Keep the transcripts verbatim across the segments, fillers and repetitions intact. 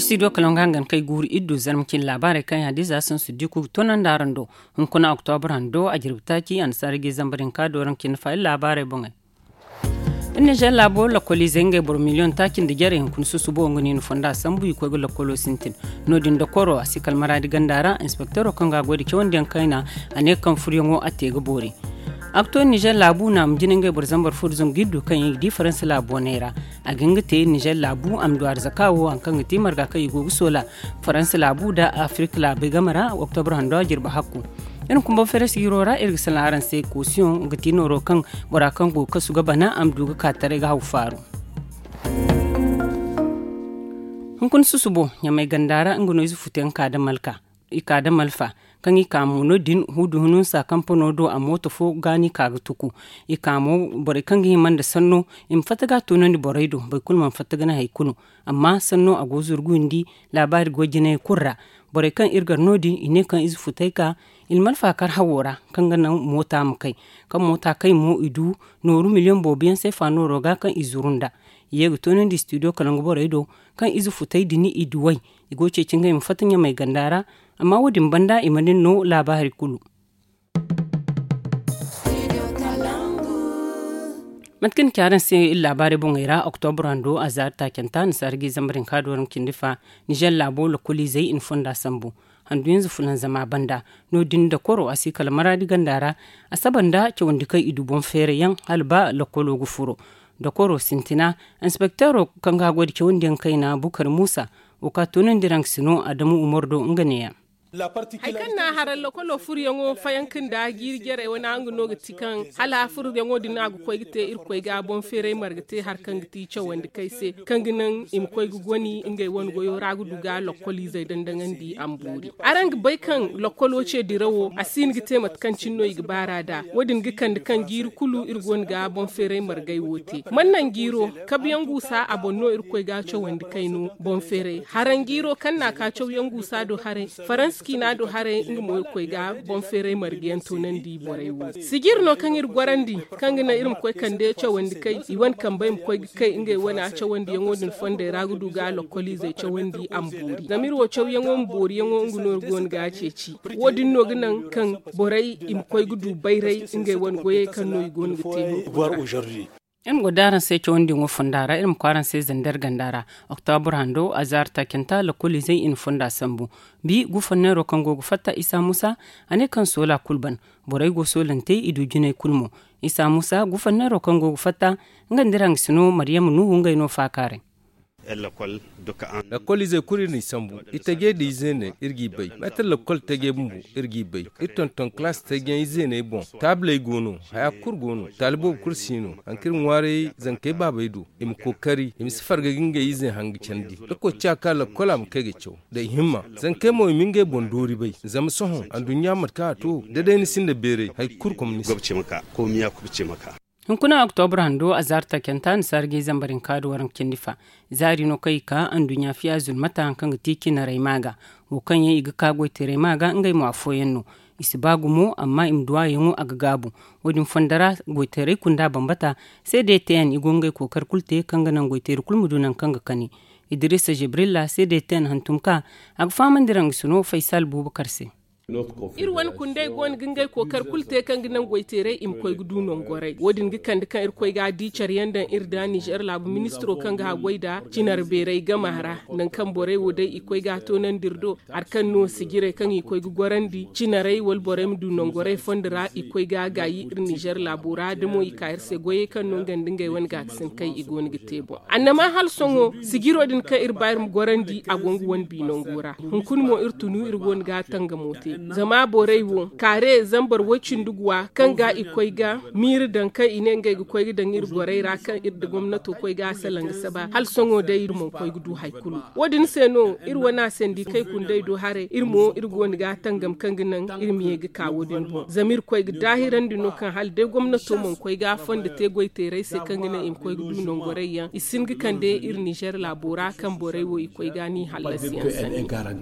Studio kalaŋ ga hangan kay guuru iddu zarma cine laabaarey kaŋ yaŋ hadiza sansu diku ga toonandi araŋ do. Hunkuna oktobra hando a jirbi taaci annasaara ga i zambar hinka dooraŋ cine fa iri laabaarey boŋey. Iri nizer laabo lakkoliizey ngey boro miliyoŋ taaci nda jarey hunkuna susubo nga no i na fonda sambu i koy ga lakkolo sintin. No-din dokoro a si kala maraadi ganda ra inspektero kaŋ ga a goy nda cawandiyaŋ kayna a ne kaŋ furyaŋo a te ga boori. A ga to nizer laabu naama jine ngey boro zambar fo nda zangu iddu kaŋ yaŋ i ga di faransa laabu waney ra. A ga hin ga te nizer laabu a ma du arzaka wo hari kaŋ ga te marga kaŋ i go ga soola faransa laabu nda afirka laabey game ra oktobra hando a jirbi hakku. Iri ma kumba feres hiiro ra iri ga salaŋ araŋ se koosiyoŋ ga ti nooro kaŋ bora kaŋ go ga kasu ga bana a ma du ga ka taray ga haw faaru. Hunkuna susubo ɲamay ganda ra nga no ize futu yaŋ ka da malka i ka da malfa kaŋ i ka mo no din hudu hununsa kampano do a mooto fo ga no i ka ga tuku. I ka mo borey kaŋ ga hima nda sanno i ma fatta ga a toonandi borey do boro kulu mana fatta ga naŋ hari kulu. Amma sanno a go zurguyandi laabaari go jinay kulu ra. Borey kaŋ iri gar no din i ne kaŋ ize futay ka i na malfa kar hawo ra kaŋ ga naŋ moota ma kay. Kaŋ moota kay mo i du nooru miliyoŋ boobo yaŋ seefa nooro ga kaŋ i zuru nda i ye ga toonandi studio kala nga borey do kaŋ ize futay din i duw'ey. I go ga ceeci ngey ma fatta ɲamay ganda ra. Amma wo- din banda i mana ni no laabaari kulu. Mate kaŋ ni ci araŋ se iri laabaarey boŋey ra oktobra hando a zaari taacanta annasaara ga i zambar hinka dooraŋ cindi fa. Nizer laabo lakkoliizey i na fonda sambu handu hinza fulanzama banda. No- din nda koro a si kala maraadi ganda ra a saba nda cawandi kaŋ i du boŋ feerayyaŋ hala ba lakkolo ga furo. Dokoro sintina inspektero kaŋ ga a goy nda cawandiyaŋ kayna bukar muusa wo ka toonandi raŋ ga si no adamu umar do nga neeya. Hari kaŋ na a haray lokolo furyaŋo fayanka nda jiiri jarey wane araŋ ga no ga ti kaŋ hala furyaŋo din no a ga koy ga te irkoy ga boŋ feeray marga te hari kaŋ ga ti cawandi kay se kaŋ ga naŋ i ma koy ga goni ngey wane goyo ra ga du ga lokoliizey dandaŋandi a ma boori. Araŋ ga bay kaŋ lokolo ce dirawo a si hin ga te mate kaŋ cine no i ga baar'a nd'a. Wo- din ga kande kaŋ jiiri kulu iri go no ga boŋ feeray margay wo te man naŋ jiiro kabuyaŋ guusa a boŋ no irkoy ga cawandi kay no boŋ feeray haranjiiro kaŋ na a ka cawyaŋ guusa do haray. Faransa ciina do haray nga mo irkoy ga boŋ feeray margayaŋ toonandi borey wo. Sijir no kaŋ iri gorandi kaŋ ga naŋ iri ma koy kande cawandi kay i wane kambey ma koy ga kay ngey wane cawandiyaŋo din fondey ra ga du ga lokkoliizey cawandi a ma boori zama iri wo cawyaŋo ma booriyaŋo nga no iri go no ga a ceeci. Wo- din no ga naŋ kaŋ borey i ma koy ga du bayray ngey wane goyey kaŋ no i go no ga te no. Iri ma go da araŋ se cawandi ŋo fonda ra iri ma koy araŋ se zander ganda ra. Oktobra hando azaari taacanta lakkoliizey i na fonda sambu. Bi gufanneero kaŋ go ga fatta isa muusa a ne kaŋ soola kulu ban. Borey go soolante i du jinay kulu mo. Isa muusa gufanneero kaŋ go ga fatta nga nda iri hangasino maryama nuhu ngey no faakaaray. Lakkol ize kulu iri n'i sambu. Itaje nda izeeney iri g'i bay meetar lakkol taje bumbo iri g'i bay. Iri tonton kalaas tajeyaŋ izeeney boŋ. Taabley go no. Haya kulu go no. Taali boobo kulu si no. Hari kaŋ iri ŋwaaray zankey baabey do i ma kookari i ma si farga ga ngey izey hanga candi. Da koociya ka lakkol a ma kay ga caw da i himma. Zankey mo i ma ngey boŋ doori bay. Zama sohõ anduɲɲa mate kaŋ a to da day ni sinda beeray hari kulu kom ni se. Hunkuna oktobra hando azaari taacanta annasaara ga i zambar hinka da waranka cindi fa. Zaari no kaŋ i ka anduɲɲa fiya zulmata hari kaŋ ga ti cinarey ma ga. Wo kaŋ yaŋ i ga ka goytaray ma ga ngey mo afooyaŋ no. I si ba gumo amma i ma duwaayaŋo a ga gaabu. Wo- din fondo ra goytaray kunda bambata se da i te yaŋ i go ngey kookari kulu te kaŋ ga naŋ goytayri kulu ma du nangu kaŋ ga kani. Idirisa jibrilla se da i te yaŋ hantum ka a ga fahamandi raŋ ga sino faysal buubakar se. Iri wane kundey go no ga ngey kookari kulu te kaŋ ga naŋ goyteeray i ma koy ga du nongoray wo- din ga kande kaŋ iri koy ga a di care yaŋ daŋ iri da nizer laabu ministiro kaŋ ga haggoy nda cinar beeray gama ra. Nangu kaŋ borey wo day i koy ga a toonandi iri do hari kaŋ no sijirey kaŋ i koy ga gorandi cinarey wala borey ma du nongoray fondo ra i koy ga a gaayi iri nizer laabo ra da mo i ka iri se goyey kaŋ no nga nda ngey wane gaakasin kay i go no ga te boŋ. Annama hala sohõ sijiro din kaŋ iri ba iri ma gorandi a go nga wane bi nango ra. Hunkuna mo iri tunu iri go no ga a tangamo te. Zama borey wo kaare zambar woy-cindi guwa kaŋ ga i koy ga miiri daŋ kaŋ i ne ngey ga koy ga daŋ iri gorey ra kaŋ iri nda gomnato koy ga a salaŋ ga saba hala sohõ day iri mana koy ga du hari kulu. Wo- din se no iri wane asandi kay kundey do haray iri mo iri go no ga a tangam kaŋ ga naŋ iri ma ye ga ka wo- din boŋ zama iri koy ga daahirandi no kaŋ hala day gomnato mana koy ga a fondo te goyteeray se kaŋ ga naŋ i ma koy ga du nongoray yaŋ i si hin ga kande iri nizer laabo ra kaŋ borey wo i koy ga ni hallasi yaŋ sanda.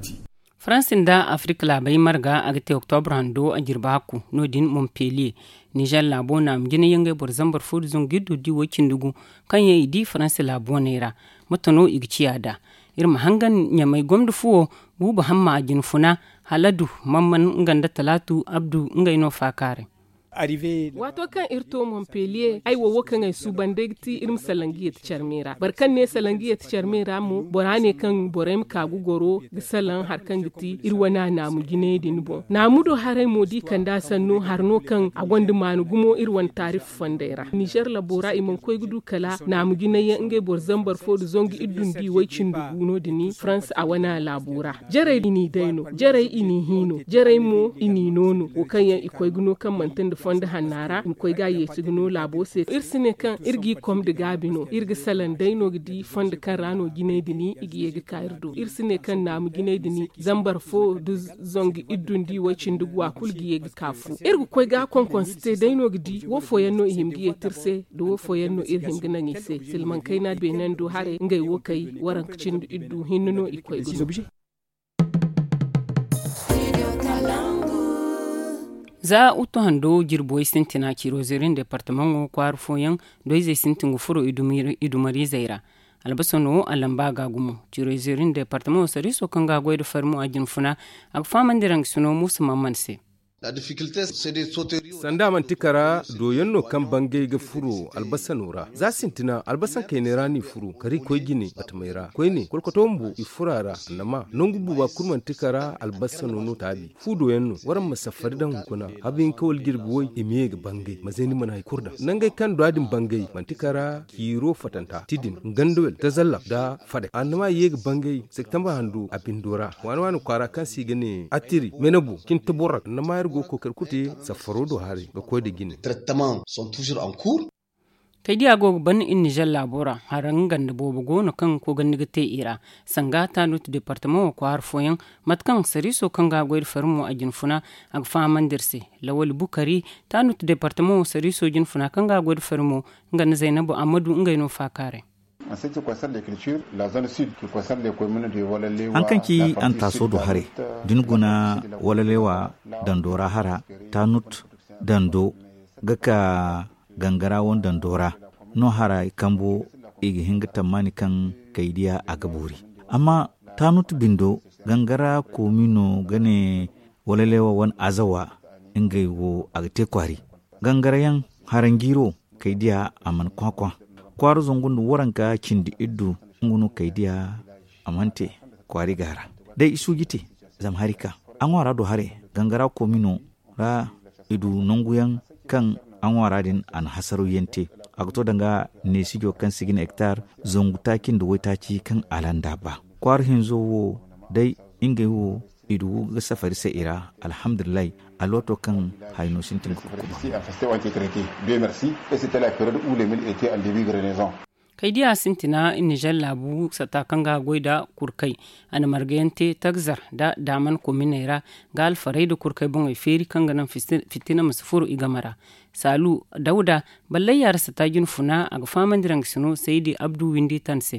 Faransi nda afirka laabey marga a ga te oktobra hando a jirbi hakku no- din montpellier. Nizer laabo naama jina yaŋ ngey boro zambar fo nda zangu iddu di woy-cindi gu kaŋ yaŋ i di faransi laabu waney ra. Mate no i ga ciya nd'a? Iri ma hangan ɲamay gomda fuwo, buubu hamma a jinfuna, haladu, mamman nga nda talaatu abdu ngey no faakaaray. Waato kaŋ iri to montpellier ay wo wo kaŋ ay suuban day ga ti iri ma salaŋ ga yeeti carmey ra boro kaŋ ne salaŋ ga yeeti carmey ra mo bora ne kaŋ borey ma ka ga goro ga salaŋ hari kaŋ ga ti iri wane a naamu jinay din boŋ. Naamu do haray mo da i kande a sanno hari no kaŋ a gonda maanu gumo iri wane taarif fondey ra ninzeer labo ra i mana koy ga du kala naamu jinay yaŋ ngey boro zambar fo nda zangu iddu nda i way cindi gu no- din farans a wane a laabo ra. Jarey i n'i day no jarey i n'i hi no jarey mo i n'i no no wo kaŋ yaŋ i koy ga no kaŋ manti nda fondo hanna ra i ma koy ga a yeeti ga no laabo se iri si ne kaŋ iri g'i kom nda gaabi no iri ga salaŋ day no ga di fondo kaŋ ra no jinay din i ga ye ga ka iri do iri si ne kaŋ naamu jinay din zambar fo nda zangu iddu nda i way cindi gu a kulu ga ye ga ka fu iri ga koy ga a konkonse te day no ga di wo fooyaŋ no i hima ga yeeti iri se nda wo fooyaŋ no iri hima ga naŋ i se silmaŋ kayna beenando haray ngey wo kay waranka cindi iddu hinne no i koy ga no. Za uttu hando jirbo way sintina ciiro zeerin departamaŋo kwaara fooyaŋ doyzey sintin ga furo i dumariizey ra. Albasano a lamba ga gumo ciiro zeerin departamaŋo sariiso kaŋ ga a goy nda farmo a jinfuna a ga fahamandi raŋ ga sino muusa mamman se. Sanda manti kara dooyaŋ no kaŋ bangay ga furo albasano ra za sintina albasan kaynay ra no i furo kari koy jine batamey ra koyne kolkoto bumbo i furo a ra annama nangu buuba kulu manti kara albasano no taabi fu dooyaŋ no waraŋ ma safari daŋ hunkuna habu hinka wala jirbi way i ma ye ga bangay ma zay ni mana hari kulu daŋ nangey kaŋ du a din bangay manti kara ciiro fatanta ti din gandawel tazalla nda fadey annama i ye ga bangay septembre hando a bindo ra waani waani kwaara kaŋ se i ga ne attiri menebo cinta borra annama iri go ga kookari kulu te safaro do haray ga koy nda jine. Kay diya go ga ban iri nizer laabo ra haraŋ ganda boobo go no kaŋ koogandi ga te i ra sanga taanut departamaŋo kwaara fooyaŋ mate kaŋ sariiso kaŋ ga a goy nda farmo a jinfuna a ga fahamandi iri se. Lawali bukari taanut departamaŋo sariiso jinfuna kaŋ ga a goy nda farmo nga nda zaynabu ammadu ngey no faakaaray. Haŋ kaŋ ci antaaso do haray da ni guna walalewa dando ra hara taanut dando ga ka gangara wane dando ra no hara i kambo i ga hin ga tammaani kaŋ kay diya a ga boori amma taanut bindo gangara koomino ga ne walalewa wane azawa ngey wo a ga te kwaari gangara yaŋ haranjiiro kay diya a mana kwakwa kwaara zangu nda waranka cindi iddu nga no kay diya a mana te kwaari ga hara day i suuji te zama hari ka a ŋwaara do haray gangara koomino ra i du nangu yaŋ kaŋ a ŋwaara din a na hasaraw yaŋ te a ga to danga neesijo kaŋ se ga ne hektar zangu taaci nda waytaaci kaŋ a landa ba kwaara hinzo wo day ngey wo i du ga safari se i ra alhamdulillahi alwato kaŋ hayno sintin ga kukuba. Kay diya sintina nizer laabu sata kaŋ ga goy da kurkay a na margayaŋ te tagzar da daaman kominey ra ga alfarey da kurkay boŋey feeri kaŋ ga naŋ fitina ma si furo i game ra. Saalu dawda ballayya ra sata jinfuna a ga fahamandi raŋ ga sino saydi abdu windi tan se.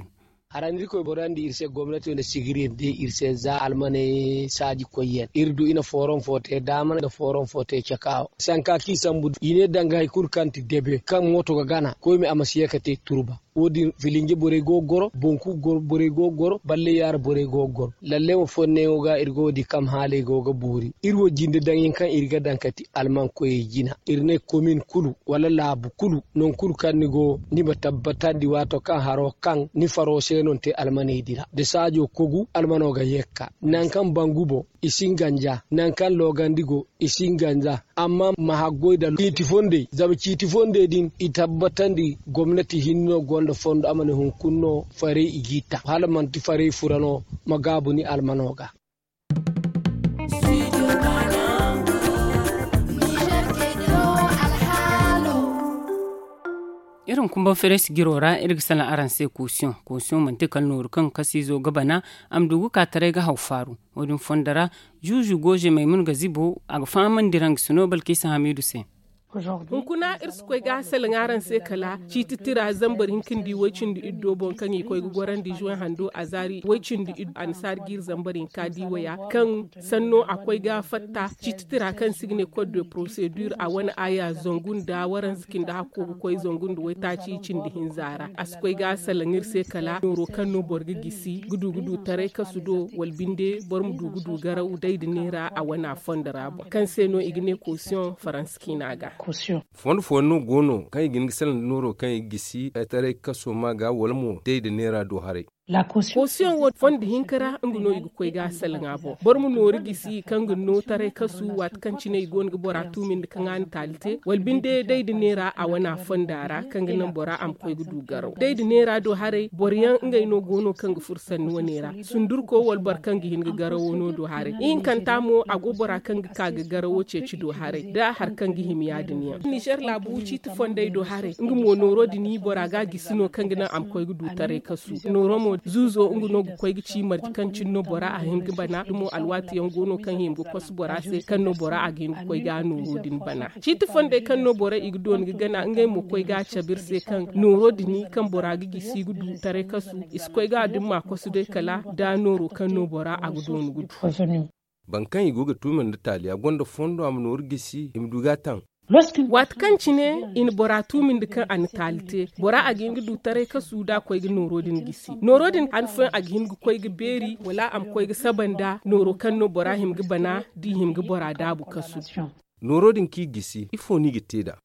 Harandi koy borandi iri se gomnati nda sigiri nda iri se za almaney saaji koyyaŋ iri du i na fooraŋ fo te daama nda fooraŋ fo te cakaawo sanka kaŋ i sambu i ne danga hari kulu kaŋ ti debe kaŋ mooto ga gana koyme a ma si ye ga te turba. Wo- din filinje borey go ga goro boŋ kulu borey go ga goro balle yaara borey go ga goro lalle wo fonneyaŋo ga iri go ga di kaŋ haaley go ga boori iri wo jinde daŋyaŋ kaŋ iri ga daŋ ga ti alman koyey jina iri ne komin kulu wala laabu kulu nangu kulu kaŋ ni go ni ma tabbatandi waato kaŋ haro kaŋ ni faro se no ni te almaney din ra da saajo kogu almano ga ye ga ka nangu kaŋ bangu boŋ i si hin ganja nangu kaŋ loogandi go i si hin ganja amma ma haggoy da ciiti fondey zama ciiti fondey din i tabbatandi gomnati hinne no gonda fondo a ma ne hunkuna no farey i g'i ta hala manti farey fura no ma gaabu ni almano ga. Iri ma kumbaŋ feres jiro ra iri ga salaŋ araŋ se koosiyoŋ koosiyoŋ manti kala nooru kaŋ kasiizo ga bana a ma du ga ka taray ga haw faaru. Wo- din fondo ra juuzu gooze maymuna ga zibo a ga fahamandi raŋ ga sino balkiisa hamiidu se. Hunkuna iri si koy ga salaŋ araŋ se kala ciiti tira zambar hinka nda way-cindi iddo boŋ kaŋ i koy ga gorandi zuway hando a zaari way-cindi iddo annasaari ga iri zambar hinka di waya kaŋ sanno a koy ga fatta ciiti tira kaŋ se i ga ne kod de porosedur a wane aya zangu nda waranza cindi hakko ga koy zangu nda waytaaci cindi hinza ra a si koy ga salaŋ iri se kala nooro kaŋ no boro ga gisi ga du ga du taray kasu do wala binde boro ma du ga du garaw day nda neera a wane a fondo ra boŋ kaŋ se no i ga ne kosiyoŋ faransa ciina ga. Fondo fooyaŋ no go no kaŋ i ga hin ga salaŋ nda nooro kaŋ i ga gisi taray kaso ma ga wala mo day nda neera do haray. Kosiyoŋ wo fondo hinka ra nga no i ga koy ga a salaŋ a boŋ boro ma nooru gisi kaŋ ga no taray kasu waati kaŋ cine i go no ga bora tuumindi kaŋ a na taali te wala binde day nda neera a wane a fonda ra kaŋ ga naŋ bora a ma koy ga du garaw day nda neera do haray boro yaŋ ngey no go no kaŋ ga furo sanni wane ra sundurko wala boro kaŋ ga hin ga garawo no do haray ihinkanta mo a go bora kaŋ ga ka ga garawo ceeci do haray da hari kaŋ ga hima ya- din yaŋ nizer laabu ciiti fondey do haray nga mo nooro din bora ga a gisi no kaŋ ga naŋ a ma koy ga du taray kasu nooro mo zuuzo nga no ga koy ga ci marje kaŋ cine no bora a hin ga bana da mo alwaati yaŋ go no kaŋ hima ga kosu bora se kaŋ no bora a ga hin ga koy ga nooro din bana ciiti fondey kaŋ no borey i ga dooni ga gana ngey mo koy ga a cabe iri se kaŋ nooro din kaŋ bora ga gisi ga du taray kasu i si koy ga a dumma kosu day kala da nooro kaŋ no bora a ga dooni ga du. Boro kaŋ i go ga tuumandi taali a gonda fondo a ma nooru gisi i ma du ga a taŋ. Waati kaŋ cine i na bora tuumandi kaŋ a na taali te bora a ga hin ga du taray kasu da a koy ga nooro din gisi nooro din han fooyaŋ a ga hin ga koy ga beeri wala a ma koy ga saba nda nooro kaŋ no bora hima ga bana da i hima ga bora daabu kasu. Nooro din kaŋ i gisi ifo no i ga te nd'a?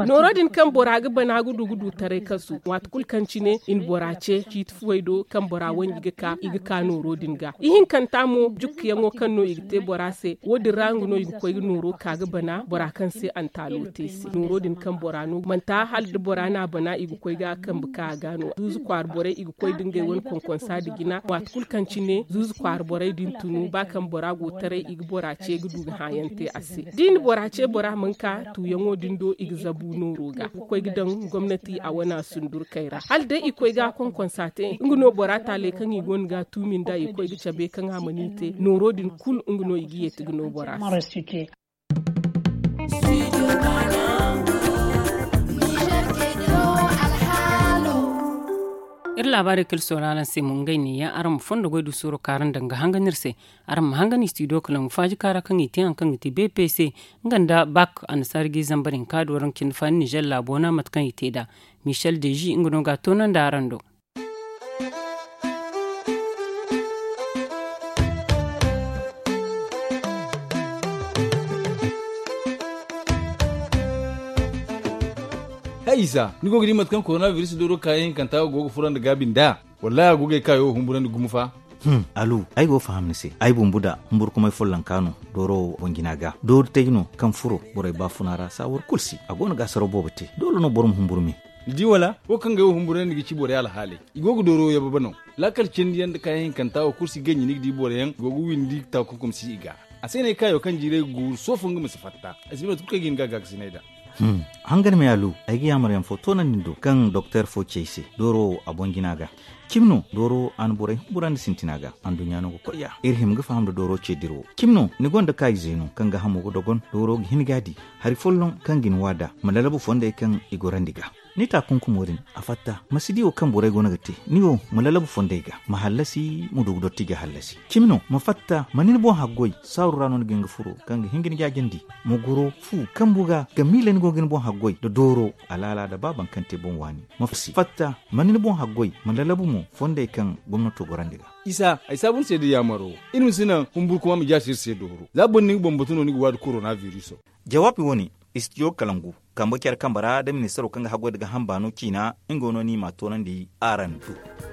Nooro din kaŋ bora ga bana ga du ga du taray kasu waati kulu kaŋ cine i na bora ce ciiti fuwey do kaŋ bora wanji ga ka i ga ka nooro din ga ihinkanta mo jukkuyaŋo kaŋ no i ga te bora se wo- din ra nga no i ga koy ga nooro ka ga bana bora kaŋ se a na taalo te se nooro din kaŋ bora no manti hala da bora no a bana i ga koy ga a kambe ka a ga no zuuzu kwaara borey i ga koy da ngey wane konkonsa nda jina waati kulu kaŋ cine zuuzu kwaara borey din tunu ba kaŋ bora go taray i ga bora ce ga du ga hãayaŋ te a se da i na bora ce bora mana ka tuuyaŋo din do i ga zabu nooro ga ga koy ga daŋ gomnati a wane a sundurkey ra hala day i koy ga a konkonsa te nga no bora taaley kaŋ i go no ga a tuumi nd'a i koy ga cabe kaŋ a mana i te nooro din kulu nga no i ga yeeti ga no bora se. Iri laabaarey kaŋ iri soora araŋ se mo ngey neeya araŋ ma fondo goy du sooro kaara nda nga hangan iri se. Araŋ ma hangan istidiyo kalangu faaji kaara kaŋ i te hari kaŋ ga ti bpc nga nda bak annasaari ga i zambar hinka do araŋ cindi faani nizer laabo na mate kaŋ i te nd'a. Michel deji nga no ga a toonandi araŋ do. Hay isa ni go ga di mate kaŋ korona biris dooro kaayaŋ hinkanta go ga furandi gaabi nd'a? Wallahi a go ga ay kaayo humburandi gumo fa. Alu ay go ga faham ni se ay bumbu da humburkumay follonka no dooro wo boŋ jina ga doori tay no kaŋ furo borey baafuna ra saawar kulu si a go no ga a saraw boobo te doole no boro ma humburu me. Ni di wala wo kaŋ ga ay wo humburandi ga ci borey alhaaley i go ga dooro yababe no. Laakal cindi yaŋ nda kaayaŋ hinkanta wo kulu si ganji ni ga di boro yaŋ go ga windi taakunkum si i ga. A se no ay kaayo kaŋ jiiray ga guuru sohõ fo nga ma si fatta. Ay si bay mate kulu kaŋ ay ga hin ga a gaakasinay nd'a. Hangan me alu ay ga yaamar yaŋ fo toonandi ni do kaŋ doktor fo ci ay se dooro wo a boŋ jina ga. Cimi no dooro wo a na borey humburandi sintina ga anduɲɲa no ga koy ya iri hima ga faham nda dooro ce dira wo cimi no ni gonda kaayize no kaŋ ga hamo ga dogon dooro ga hin ga a di. Hari folloŋ kaŋ ga ni wa nd'a ma lalabu fondey kaŋ i gorandi ga. Ni taakunkumo din a fatta ma si di wo kaŋ borey go no ga te ni wo ma lalabu fondey ga ma hallasi ma du ga dotti ga hallasi. Cimi no ma fatta ma ni ni boŋ haggoy saaru ra no ni ga hin ga furo kaŋ ga hin ga ni jaajandi. Ma goro fu kambu ga ga miila ni go ga ni boŋ haggoy nda dooro alaala nda ba baŋ kaŋ te boŋ waani. Ma fatta ma ni ni boŋ haggoy ma lalabu mo fondey kaŋ gomnato gorandi ga. Isa ay saabu ni se da yaamaro iri ma si naŋ humburkuma ma jaasi iri se dooro za boro na ni ga bambatu no ni ga waadi korona biriso. Jawaabi wo-ne istidiyo kalangu kambe care kambe ra nda ministaro kaŋ ga haggoy nda ga hamba no ciina nga wo no ni m'a toonandi araŋ do.